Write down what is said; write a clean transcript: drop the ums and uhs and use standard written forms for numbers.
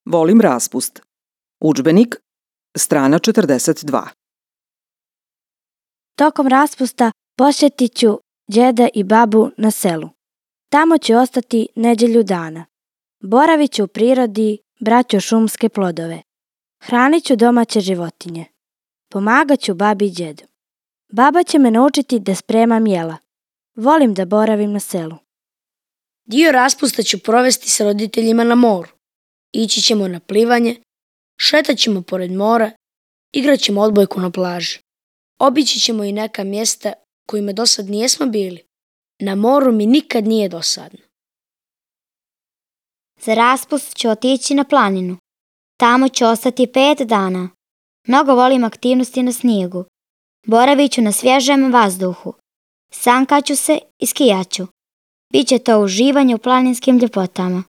Volim raspust. Udžbenik, strana 42. Tokom raspusta posjetit ću djeda i babu na selu. Tamo ću ostati nedjelju dana. Boravit ću u prirodi, braću šumske plodove. Hranit ću domaće životinje. Pomagat ću babi i djedu. Baba će me naučiti da spremam jela. Volim da boravim na selu. Dio raspusta ću provesti s roditeljima na moru. Ići ćemo na plivanje, šetat ćemo pored mora, igrat ćemo odbojku na plaži. Obići ćemo i neka mjesta kojima dosad nijesmo bili. Na moru mi nikad nije dosadno. Za raspust ću otići na planinu. Tamo ću ostati 5 dana. Mnogo volim aktivnosti na snijegu. Boravit ću na svježem vazduhu. Sankaću se i skijaću. Biće to uživanje u planinskim ljepotama.